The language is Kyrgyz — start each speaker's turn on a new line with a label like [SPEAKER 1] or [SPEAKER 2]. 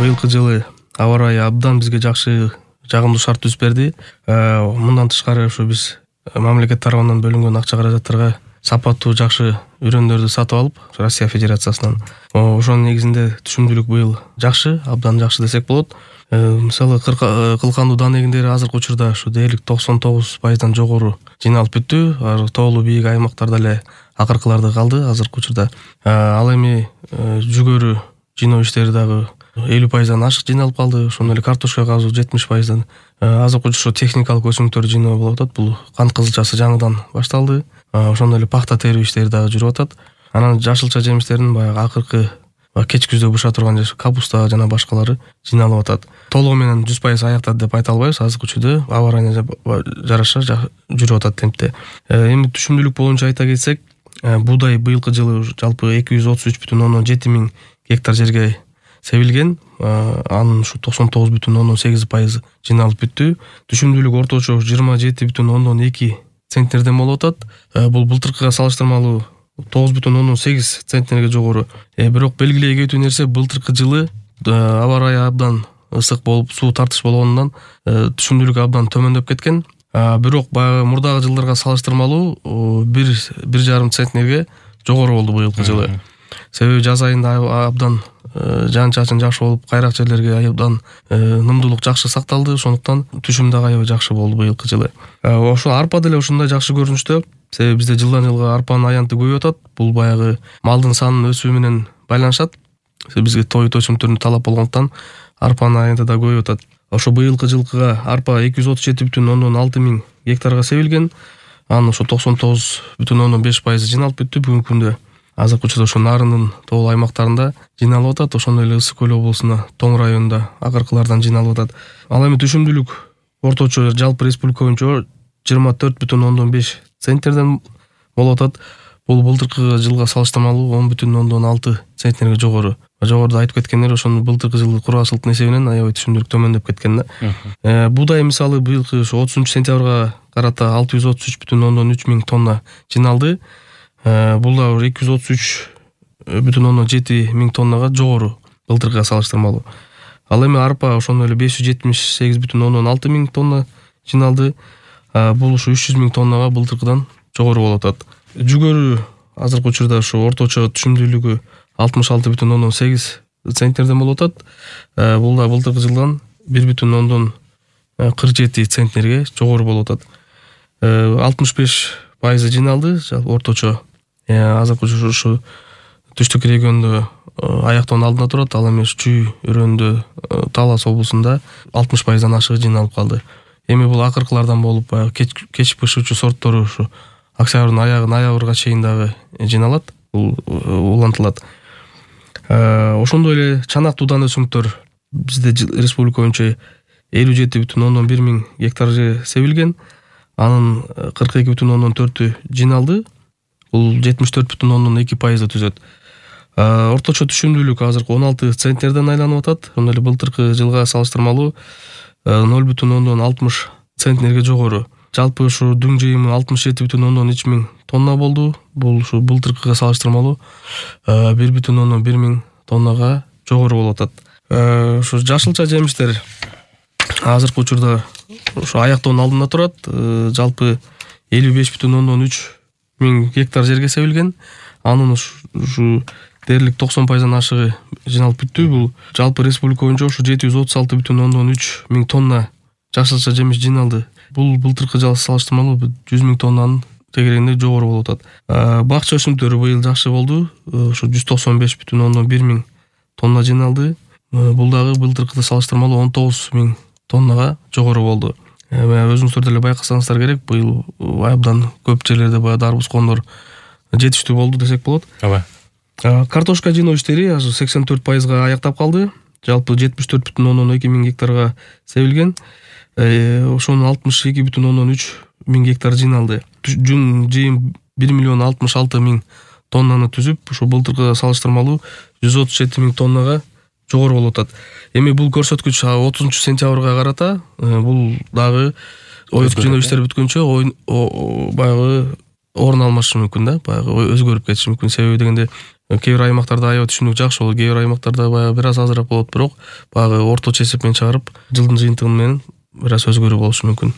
[SPEAKER 1] быйылкы жылы аба ырайы абдан бизге жакшы жагымдуу шарт түзүп берди. Мындан тышкары ушу биз мамлекет тарабынан бөлүнгөн акча каражаттарга сапаттуу жакшы үрөндөрдү сатып алып, Россия Федерациясынан ошонун негизинде түшүмдүүлүк быйыл жакшы, абдан жакшы десек болот. Мисалы кылкандуу дан эгиндери азыркы учурда ушу дээрлик 99%дан жогору жыйналып бүттү. Тоолуу бийик аймактарда эле акыркыларды калды азыркы учурда. Ал эми жүгөрү жыйноо иштери дагы 50%дан ашык жыйналып калды. Ошондой эле картошка казуу 70%дан. Азыркы учурда техникалык өсүмдүктөр жыйноо болуп атат. Бул кант кызылчасы жаңыдан башталды. Ошондой эле пахта терүү иштери дагы жүрүп атат. Анан жашылча жемиштердин баягы акыркы кеч күздө быша турган капуста жана башкалары жыйналып атат. Толугу менен 100% аяктады деп айта албайбыз. Азыркы учурда аба ырайына жараша жүрүп атат темпте. Эми түшүмдүүлүк боюнча айта кетсек, буудай быйылкы жылы жалпы 233,7 миң гектар жерге себилген. Анын ушу 99,8% жыйналып бүттү. Түшүмдүүлүк орточо 27,2 центнерден болуп атат. Бул былтыркыга салыштырмалуу 9,8 центнерге жогору. Бирок белгилей кетүү нерсе, былтыркы жылы аба ырайы абдан ысык болуп, суу тартыш болгонунан түшүмдүүлүк абдан төмөндөп кеткен. Бирок баягы мурдагы жылдарга салыштырмалуу 1,5 центнерге жогору болду быйылкы жылы. Себеби жаз айында абдан жаан чачын жакшы болуп, кайрак жерлерге абдан нымдуулук жакшы сакталды. Ошондуктан түшүм дагы аябай жакшы болду быйылкы жылы. Ошо арпа деле ушундай жакшы көрүнүштө. Себеби бизде жылдан жылга арпанын аянты көбөйүп атат. Бул баягы малдын санынын өсүшү менен байланышат. Бизге той төчүмдөрүнө талап болгондуктан арпанын аянты да көбөйүп атат. Ошо быйылкы жылкыга арпа 237,6 миң гектарга себилген. Анын ошо 99,5% жыйналып бүттү бүгүнкү күндө. Азыркы учурда ошо Нарындын тоолуу аймактарында жыйналып атат. Ошондой эле Ысык көл облусуна Тоң районунда акыркылардан жыйналып атат. Ал эми түшүмдүүлүк орточо жалпы республика боюнча 24,5 центнерден болуп атат. Бул былтыркы жылга салыштырмалуу 10,6 центнерге жогору. Жогоруда айтып кеткендер, ошону былтыркы жылы кургасылыктын эсебинен аябай түшүмдүүлүк төмөндөп кеткен да. Буудай мисалы быйылкы 30 сентябрга карата 633,3 миң тонна жыйналды. Бул да 233,7 миң тоннага жогору былтыркыга салыштырмалуу. Ал эми арпа ошондой эле 578,6 миң тонна жыйналды. Бул ушу 300 миң тоннага былтыркыдан жогору болуп атат. Жүгөрү азыркы учурда ушу орточо түшүмдүүлүгү 66,8 центнерден болуп атат. Бул да былтыркы жылдан 1,47 центнерге жогору болуп атат. 65% жыйналды орточо. Азыркы учурда ушу түштүк региондо аяктоонун алдында турат. Ал эми Чүй өрөөндө Талас облусунда 60%дан ашыгы жыйналып калды. Эми бул акыркылардан болуп, кеч пышуучу сорттору ушу октябрдын ноябрга чейин дагы жыйналат, улантылат. Ошондой эле чанактуу дан өсүмдүктөр бизде республика боюнча 57,1 миң гектар жер себилген. Анын 42,4 жыйналды. Бул 74,2% түзөт. Орточо түшүмдүүлүк азыркы 16 центнерден айланып атат. Ошондой эле былтыркы жылга салыштырмалуу 0,60 центнерге жогору. Жалпы ушу дүң жыйымы 67,3 миң тонна болду. Бул ушу былтыркыга салыштырмалуу 1,1 миң тоннага жогору болуп атат. Ушу жашылча жемиштер азыркы учурда ушу аяктоонун алдында турат. Жалпы 55,3 миң гектар жерге себилген. Анын ушу дээрлик 90%дан ашыгы жыйналып бүттү. Бул жалпы республика боюнча ушу 736,3 миң тонна жашылча жемиш жыйналды. Бул былтыркы жылга салыштырмалуу 100 миң тоннанын тегерегинде жогору болуп атат. Бакча өсүмдүктөрү быйыл жакшы болду. Ушу 195,1 миң тонна жыйналды. Бул дагы былтыркыда салыштырмалуу 19 миң тоннага жогору болду. Өзүңүздөр деле байкасаңыздар керек, быйыл абдан көп жерлерде баягы дарбуз кондор жетиштүү болду десек болот. Картошка жыйноо иштери азыр 84%га аяктап калды. Жалпы 74,2 миң гектарга себилген. Ошонун 62,3 миң гектар жыйналды. Жыйым 1,66 миң тоннаны түзүп, ошо былтыркыга салыштырмалуу 137 миң тоннага жогору болуп атат. Эми бул көрсөткүч 30 сентябрга карата бул дагы оюттук жыйноо иштери бүткөнчө баягы орун алмашы мүмкүн да, баягы өзгөрүп кетиши мүмкүн. Себеби дегенде Кээ бир аймактарда аябай түшүнүк жакшы болот, кээ бир аймактарда баягы бир аз азыраак болот, бирок баягы орточо эсеп менен чыгарып, жылдын жыйынтыгы менен бир аз өзгөрүү болушу мүмкүн.